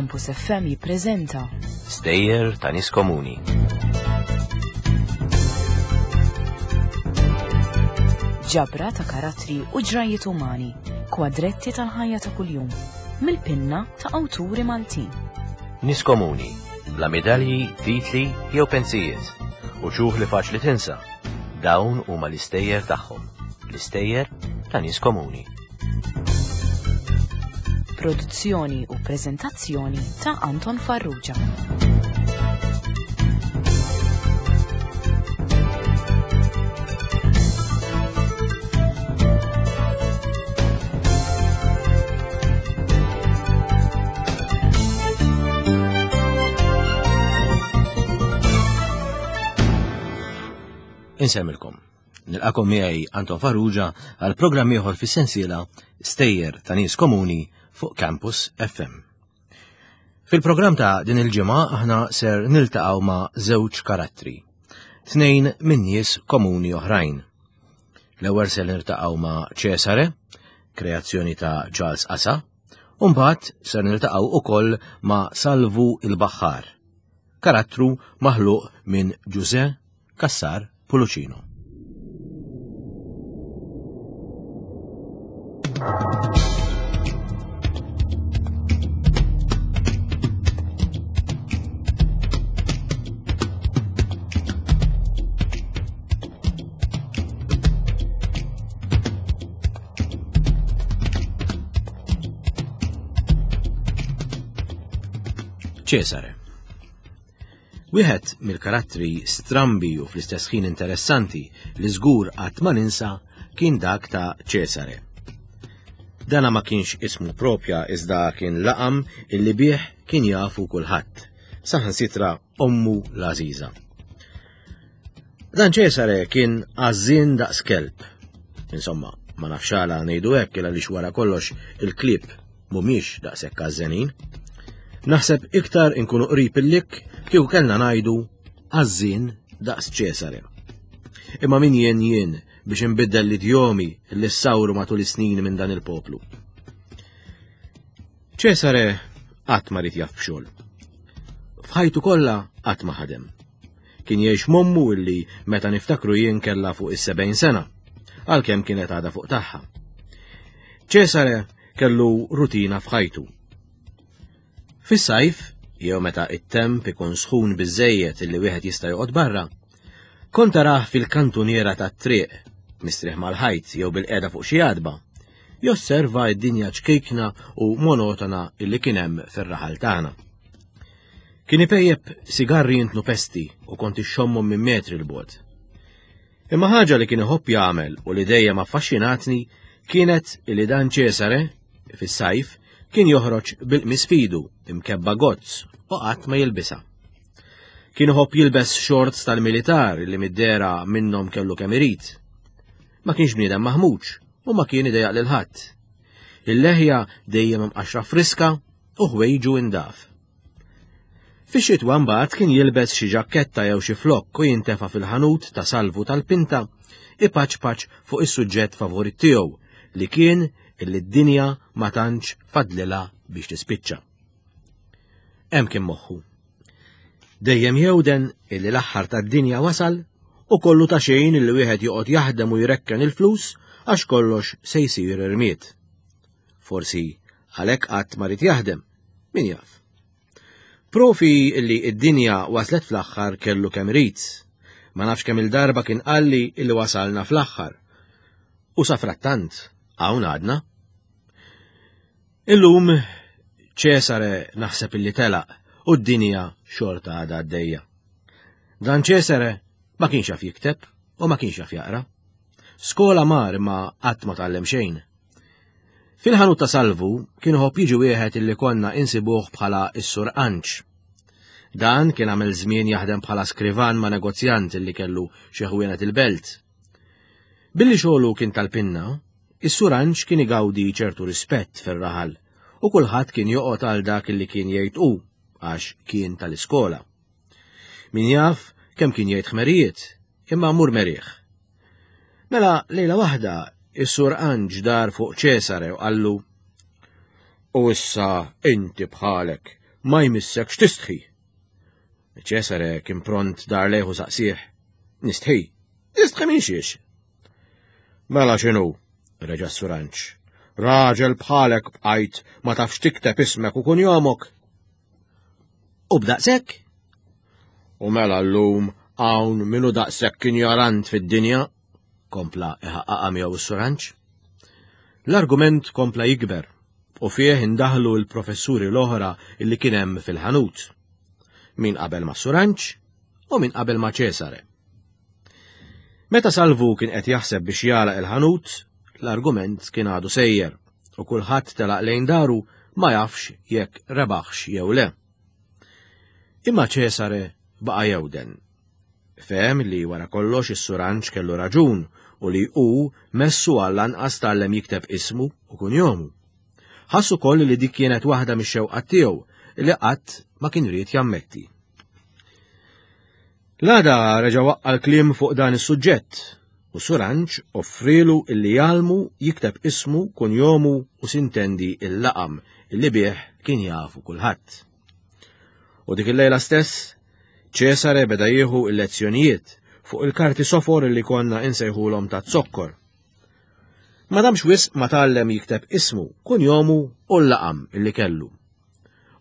Campus FM jippreżenta Stejjer ta' nies komuni. Ġabra ta' karattri u ġrajiet umani, kwadretti tal-ħajja ta' kuljum, mill-pinna ta' awturi Maltin. Nies komuni, bla medalji, titli jew pensijiet, u ċuħ li faċli tinsa. Dawn huma l-istejjer tagħhom, l-istejjer ta' nies komuni. Produzzjoni u preżentazzjoni ta' Anton Farrugia. Insemmilkom. Nilqakom miegħi Anton Farrugia għal programm ieħor fis-sensiela Stejjer ta' nies komuni fuq Campus FM. Fil-programm ta' din il-ġimgħa aħna ser niltaqgħu ma' żewġ karattri, tnejn minn nies komuni oħrajn. L-ewwel ser niltaqgħu ma' Ċesare, kreazzjoni ta' Charles Asa, u mbagħad ser niltaqgħu ukoll ma' Salvu il-Baħħar, karattru maħluq minn Ġuże Cassar Pulucino. Cesare. Wieħed mill-karattri strambi u fl-istess ħin interessanti li żgur qatt ma ninsa kien dak ta' Ċesare. Dana ma kienx ismu propja iżda kien laqam illi bih kien jafu kulħadd, saħansitra ommu l-għażiża. Dan Ċesare kien għażżien daqs kelb. Insomma, ma nafx għala ngħidu hekk għaliex wara kollox il-klieb mhumiex daqshekk għażżenin. Naħseb iktar inkunu qrib il-lik kieku kellna ngħidu għażżien daqs Ċesare. Imma min jien jien biex inbiddel l-idjomi li ssawru matul is-snin minn dan il-poplu. Ċesare qatt ma rid jaf b'xogħol. F'ħajtu kollha qatt ma ħadem. Kien jgħix m'ommu illi meta niftakru jien kellha fuq is-70 sena, għalkemm kienet għadha fuq tagħha. Ċesare kellu rutina f'ħajtu. Fis-sajf, jew meta it-temp ikun sħun biżejjed illi wieħed jista' joqgħod barra, kont tarah fil-kantuniera tat-triq, mistrieħ mal-ħajt jew bil-qiegħda fuq xi għadba, josserva d-dinja ċkejkna u monotona illi kien hemm fir-raħal tagħna. Kien ipejjep sigarri jintnu pesti u kont ixxommhom minn metri 'l bogħod. Imma ħaġa li kien iħobb jagħmel u li dejjem affaxxinatni kienet li dan Ċesare, fis-sajf, kien joħroġ bil-qmis f'idu imkebba gozz u qatt ma jilbisha. Kien iħobb jilbes shorts tal-militar li mid-dehra minnhom kellu kemm irid. Ma kienx bniedem maħmuġ u ma kien idejjaq lil ħadd. Il-leħja dejjem imqaxxra friska u ħwejġu indaf. Fix-xitwa mbagħad kien jilbes xi ġakketta jew xi flokk u jintefa' fil-ħanut ta' Salvu tal-Pinta ipaċpaċ fuq is-suġġett favorit tiegħu li kien illi d-dinja ma tantx fadlilha biex tispiċċa. Hemm kien moħħu. Dejjem jewden illi l-aħħar tad-dinja wasal u kollu ta' xejn illi wieħed joqgħod jaħdem u jrekken il-flus għax kollox se jsir irmied. Forsi għalhekk qatt ma ried jaħdem, min jaf. Profi li id-dinja waslet fl-aħħar kellu kemm irid. Ma nafx kemm il-darba kien qalli illi wasalna fl-aħħar. U safrattant, hawn għadna. Illum Ċesare naħseb illi telaq u d-dinja xorta għadha għaddejja. Dan Ċesare ma kienx jaf jikteb u ma kienx jaf jaqra. Skola mar imma qatt ma tgħallem xejn. Fil-ħanut ta' Salvu kien iħobb jiġi wieħed illi konna insibuh bħala s-Sur Anċ. Dan kien għamel żmien jaħdem bħala skrivan ma' negozjant illi kellu xi ħwienet il-belt. Billi xogħlu kien tal-pinna, is-Sur Anċ kien igawdi ċertu rispett fir-raħal u kulħadd kien joqgħod għal dak illi kien jgħid hu għax kien tal-iskola. Min jaf kemm kien jgħid ħmerijiet, imma mur merih. Mela lejla waħda is-sur Anġ dar fuq Ċesare u qallu U issa inti bħalek. Ma jmissekx tistħi. Ċesare kien pront dar lejh u saqsih. Nistħi? Nistħi minn xiex? Mela x'inhu? reġa' s-suranċ. Raġel bħalek bqajt ma tafx tikteb ismek u kunjomok. U b'daqshekk? U mela llum hawn minu daqshekk injorant fid-dinja, kompla iħaqqaqha miegħu s-suranċ. L-argument kompla jikber u fih indaħlu l-professuri l-oħra illi kien hemm fil-ħanut. Min qabel ma' Suranċ u min qabel ma' Ċesare. Meta Salvu kien qed jaħseb biex jagħlaq il-ħanut, l-argument kien għadu sejjer u kulħadd telaq lejn daru ma jafx jekk rebaħx jew le. Imma Ċesare baqa' jewden. Fehem li wara kollox is-Suranġ kellu raġun u li hu messu għall-anqas tgħallem jikteb ismu u kunjomu. Ħass ukoll li dik kienet waħda mix-xewqat tiegħu li qatt ma kien ried jammetti. L-għada reġa' waqqa' l-kliem fuq dan is-suġġett u Suranġ offrielu illi jgħallmu jikteb ismu, kunjomu u sintendi il-laqam illi bih kien jafu kulħadd. U dik il-lejla stess, Ċesare beda jieħu il-lezzjonijiet fuq il-karti sofor li konna insejħulhom ta' zokkor. Ma damx wisq ma tgħallem jikteb ismu, kunjomu u l-laqam illi kellu.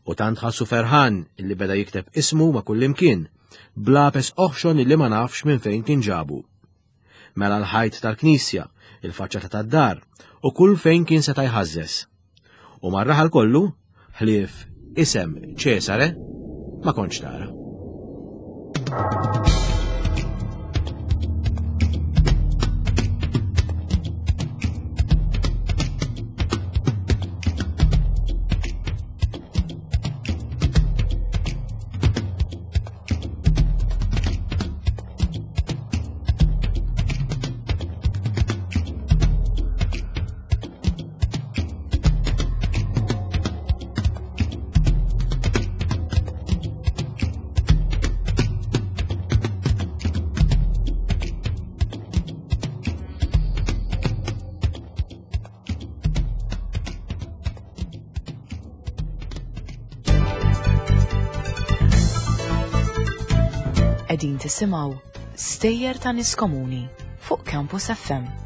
U tant ħassu ferħan illi beda jikteb ismu ma' kullimkien, blapes oħxon illi ma nafx minn fejn kien ġabu. Mela l-ħajt tal-knisja, il-faċċata tad-dar, u kull fejn kien seta' jħażżeż. U mar-raħal kollu, ħlief isem Ċesare, ma kontx tara. Qegħdin tisimgħu Stejjer ta' Nies Komuni fuq Campus FM.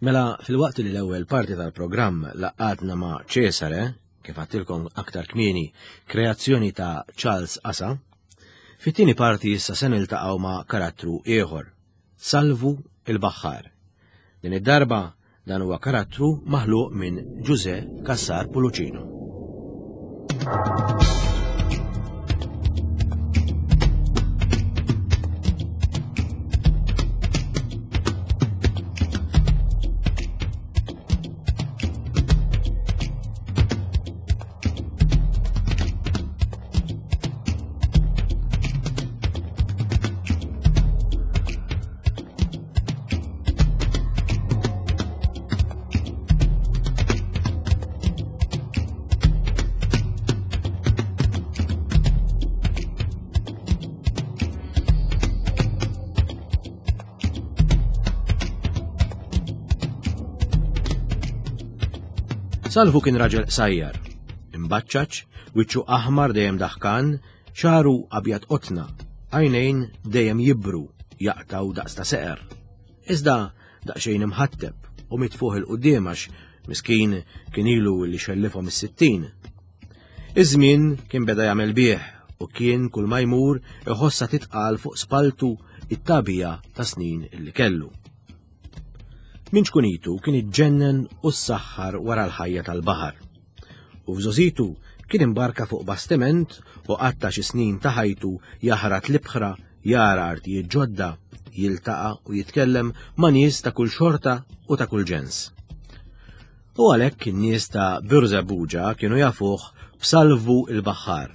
Mela, fil-waqt li l-ewwel parti tal-programm laqatna ma' Cesare, kif għattilkom aktar kmieni, kreazzjoni ta' Charles Asa, fit-tieni parti issa se niltaqgħu ma' karattru ieħor, Salvu il-Baħħar. Din id-darba Dan huwa karattru maħluq minn Ġużè Cassar Pulucino. Salvu kien raġel qsajjar, imbaċċaċ, wiċċu aħmar dejjem daħkan, xaru abjad qotna, għajnejn dejjem jibru, jaqtgħu daqs ta' seqer. Iżda daqsxejn imħatteb u mitfuħ il-quddiem għax miskin kien ilu li xellifhom is-sittin. Iż-żmien kien beda jagħmel bih u kien kull ma jmur iħossha titqal fuq spaltu it-tagħbija ta' snin li kellu. Minn ċkunitu kien iġġennen u ssaħħar wara l-ħajja tal-baħar. U f'żożitu kien imbarka fuq bastiment u qatta' xi snin ta' ħajtu jaħrat l-ibħra, jara artijiet ġodda, jiltaqa' u jitkellem ma' nies ta' kull xorta u ta' kull ġens. U għalhekk in-nies ta' Birżebbuġa kienu jafuh b'Salvu il-Baħħar.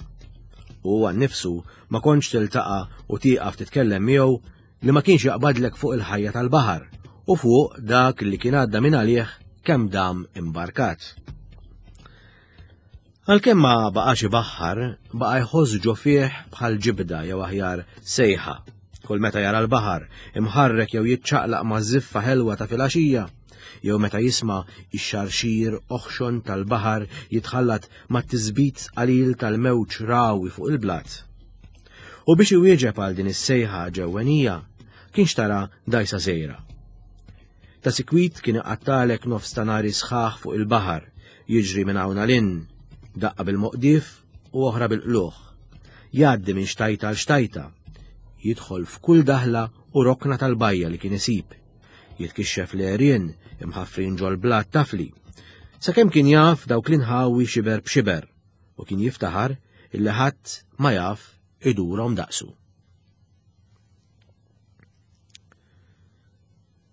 U għan-nifsu ma kontx tiltaqa' u tieqaf titkellem miegħu li ma kienx jaqbadlek fuq il-ħajja tal-baħar u fuq dak li kien għadda minn għalih kemm dam imbarkat. Għalkemm ma baqax ibaħħar, baqa' jħoss ġo fih bħal ġibda jew aħjar sejħa. Kull meta jara l-baħar imħarrek jew jiċċaqlaq ma' żiffa ħelwa ta' filgħaxija, jew meta jisma' x-xarxir oħxon tal-baħar jitħallat mat-tisbit qalil tal-mewġ rawi fuq il-blat. U biex iwieġeb għal din is-sejħa ġewwenija, kien xtara dgħajsa żgħira. Ta' sikwit kien iqattalek nofs ta' nhari sħaħ fuq il-baħar, jiġri minn hawn għal hinn, daqqa bil-moqdief u oħra bil-qlugħ. Jgħaddi minn xtajta għal xtajta, jidħol f'kull daħla u rokna tal-bajja li kien isib. Jitkixxef l-għerien imħaffrin ġol-blat tafli. Sakemm kien jaf dawk l-inħawi xiber b'xiber. u kien jiftaħar illi ħadd ma jaf idurhom daqsu.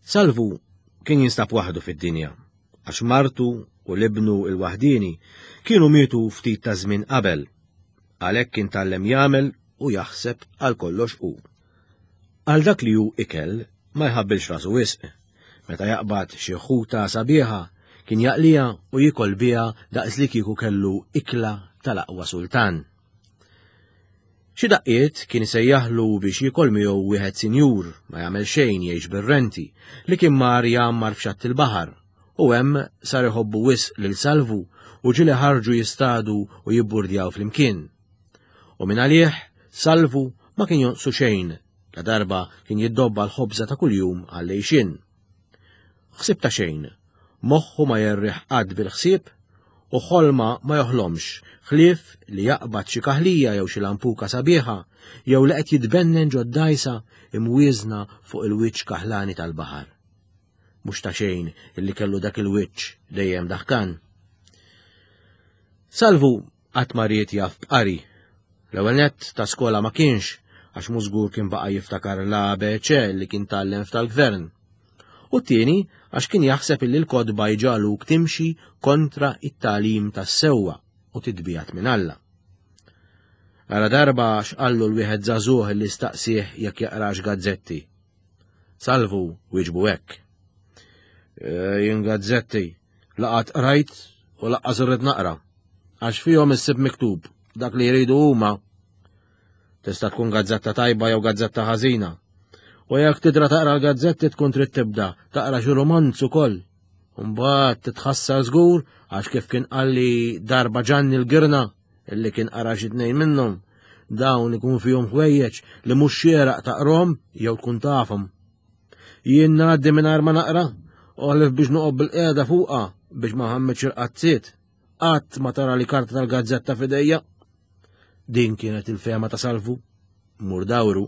Salvu kien jinstab waħdu fid-dinja, għax martu u l-ibnu il-waħdini kienu mietu ftit ta' żmien qabel, għalhekk kien tgħallem jagħmel u jaħseb għal kollox hu. Għal dak li hu ikel ma jħabbilx rasu wisq. Meta jaqbad xi ħuta sabiħa, kien jaqliha u jiekol biha daqs li kieku kellu ikla tal-aqwa sultan. Xi daqqiet kien isejjaħlu biex jiekol miegħu wieħed sinjur ma jagħmel xejn jgħix bir-renti li kien mar jgħammar f'xatt il-baħar u hemm sar iħobbu wisq lil Salvu u ġieli ħarġu jistadu u jibburdjaw flimkien. U minn għalih, Salvu ma kien jonqsu xejn ladarba kien jiddobba l-ħobża ta' kuljum għall-għixien. Ħsieb ta' xejn, moħħu ma jerriħ qatt bil-ħsieb u ħolma ma joħlomx ħlief li jaqbad xi kaħlija jew xi lampuka sabiħa jew li qed jitbennen ġod-dgħajsa imwieżna fuq il-wiċċ kaħlani tal-baħar. Mhux ta' xejn illi kellu dak il-wiċċ dejjem daħkan. Salvu Qatt ma ried jaf b'qari. L-ewwel nett ta' skola ma kienx, għax mhu żgur kien baqa' jiftakar l-ABC li kien tgħallem f'tal-gvern. U t-tieni għax kien jaħseb illi l-kotba jġagħluk timxi kontra it-tagħlim tas-sewwa u titbiegħed minn Alla. Ara darba x'qallu l-wieħed żagħżugħ li staqsieh jekk jaqrax gazzetti. Salvu wieġbu hekk. E, jien gazzetti, laqat qrajt u laqqas irrid naqra. Għax fihom issib miktub dak li jridu huma. Tista' tkun gazzetta tajba jew gazzetta ħażina. U jekk tidra taqra l-gazzetti tkun trid tibda taqra xi romanz ukoll. Mbagħad titħassar żgur għax kif kien qalli darba Ġanni l-Girna illi kien qara xi tnejn minnhom, dawn ikun fihom ħwejjeġ li mhux xieraq taqrom jew tkun tafhom. Jien ngħaddi mingħajr ma naqra, oħlef biex noqgħod bil-qiegħda fuqha biex ma ħammitx il-qazziet. Qatt ma tara li karta tal-gazzetta f'idejja. Din kienet il-fehma ta' Salvu. Mur dawru.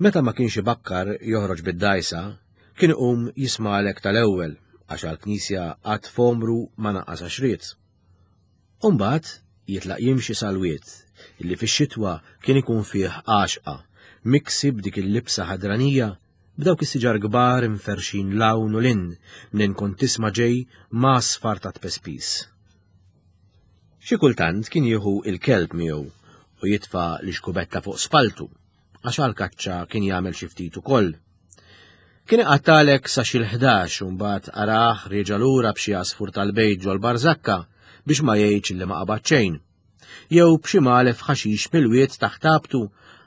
Meta ma kienx ibakkar joħroġ bid-dgħajsa, kien iqum jismagħlek tal-ewwel għax għall-knisja qatt f'għomru ma naqas għax ried. U mbagħad jitlaq jimxi sal-wied illi fix-xitwa kien ikun fih għaxqa, miksi b'dik il-libsa ħadranija b'dawk is-siġar kbar imferrxin 'l hawn u 'l hinn mnejn kont tisma' ġej m'għasfar ta' tpespis. Xi kultant kien jieħu il-kelb miegħu u jitfa' l-ixkubetta fuq spalltu, għax għall-kaċċa kien jagħmel xi ftit ukoll. Kien iqattalek sa xi l-ħdax u mbagħad arah rieġa' lura b'xi għasfur tal-bejt ġol-barżakka biex ma jgħidx li ma qabad xejn. Jew b'xi magħlef ħaxix mill-wied taħt għabtu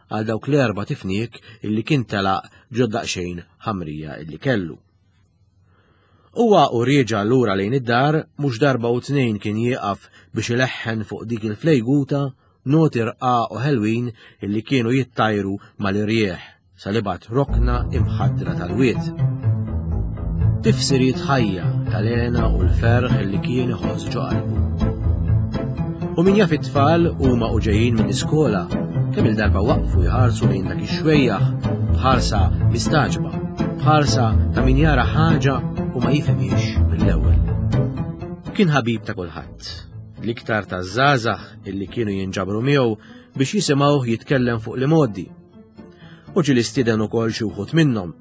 għal dawk l-erba' tifniek illi kien telaq ġo daqsxejn ħamrija illi kellu. Huwa u rieġa' lura lejn id-dar mhux darba u tnejn kien jieqaf biex ileħħen fuq dik il-flejguta noti rqaq u ħelwin illi kienu jittajru mal-irjieħ sal-ibgħad rokna imħaddra tal-wied. Tifsiriet ħajja tal-hena u l-ferħ illi kien iħoss ġo qalbu. U min jaf it-tfal huma u ġejjin mill-iskola kemm il-darba waqfu jħarsu lejn dak ix-xwejjaħ b'ħarsa mistagħġba, b'ħarsa ta' min jara ħaġa u ma jifhimhiex mill-ewwel. Kien ħabib ta' kulħadd, l-iktar taż-żgħażagħ illi kienu jinġabru miegħu biex jisimgħuh jitkellem fuq l-imgħoddi. U ġieli stieden ukoll xi wħud minnhom.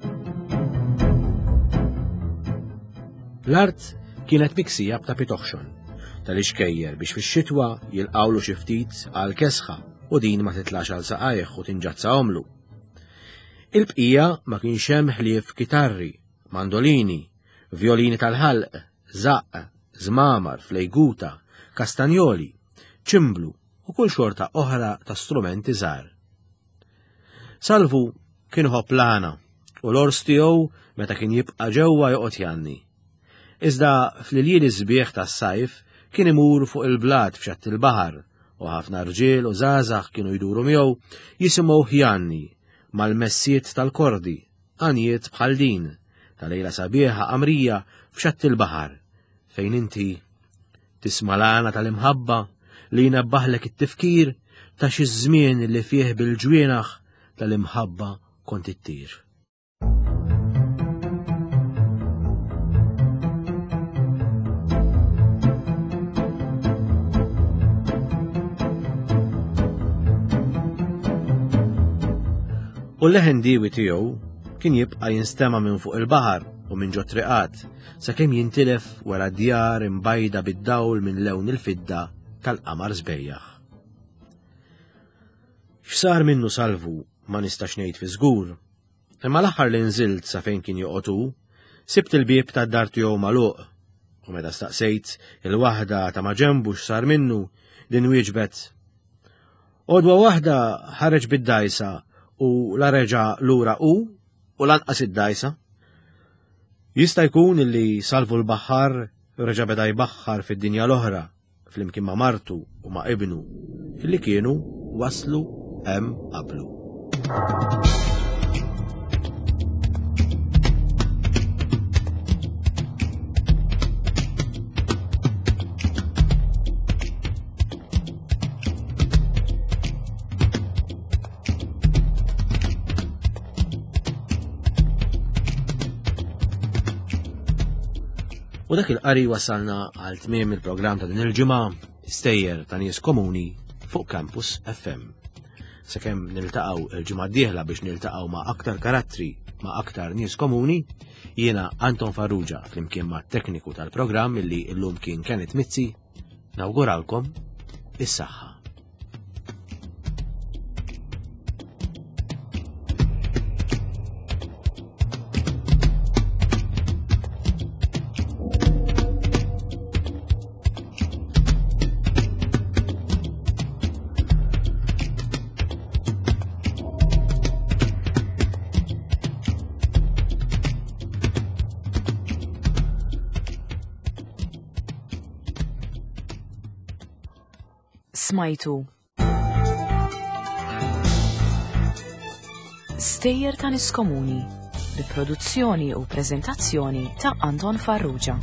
L-art kienet miksija b'tapit oħxon tal-ixkejjer biex fix-xitwa jilqawlu xi ftit għal kesħa u din ma titlax għal saqajh u tinġazzahomlu. Il-bqija ma kienx hemm ħlief kitarri, mandolini, vjolini tal-ħalq, żaqq, żmamar, flejguta, kastanjoli, ċimblu u kull xorta oħra ta' strumenti żgħar. Salvu kien iħobb l-għana u l-ors tiegħu meta kien jibqa' ġewwa joqgħod jgħanni. Iżda fl-iljieli sbieħ tas-sajf kien imur fuq il-blat f'xatt il-baħar u ħafna rġiel u żgħażagħ kienu jduru miegħu jisimgħuh jgħanni mal-messiet tal-kordi, għanjiet bħal din ta' lejla sabiħa qamrija f'xatt il-baħar fejn inti tisma' l-għana tal-imħabba li jnebbaħlek it-tifkir ta' xi żmien li fih bil-ġwienaħ tal-imħabba kont ittir. U l-leħen diwi tiegħu kien jibqa' jinstema' minn fuq il-baħar u minn ġo triqat sakemm jintilef wara djar imbajda bid-dawl minn lewn il-fidda tal-qamar sbejjaħ. X'sar minnu Salvu ma nistax ngħid fi żgur, imma l-aħħar li nżilt sa fejn kien joqgħod hu, sibt il-bieb tad-dar tiegħu magħluq u meta staqsejt il-waħda ta' maġenbu x'sar minnu, din wieġbet Għodwa waħda ħareġ bid-dgħajsa u la reġa' lura hu u lanqas id-dgħajsa. Jista' jkun illi Salvu l-baħħar reġa' beda jbaħħar fid-dinja l-oħra flimkien ma' martu u ma' ibnu illi kienu waslu hemm qablu. U dak il-qari wasalna għal tmiem il-programm ta' din il-ġimgħa stejjer ta' nies komuni fuq Campus FM. Sakemm niltaqgħu il-ġimgħa d-dieħla biex niltaqgħu ma' aktar karattri ma' aktar nies komuni, jiena Anton Farrugia flimkien ma' tekniku tal-programm illi llum kien Kenneth Mizzi. Nawguralkom is-saħħa. Smajtu Stejjer ta' Nies Komuni bi produzzjoni u preżentazzjoni ta' Anton Farrugia.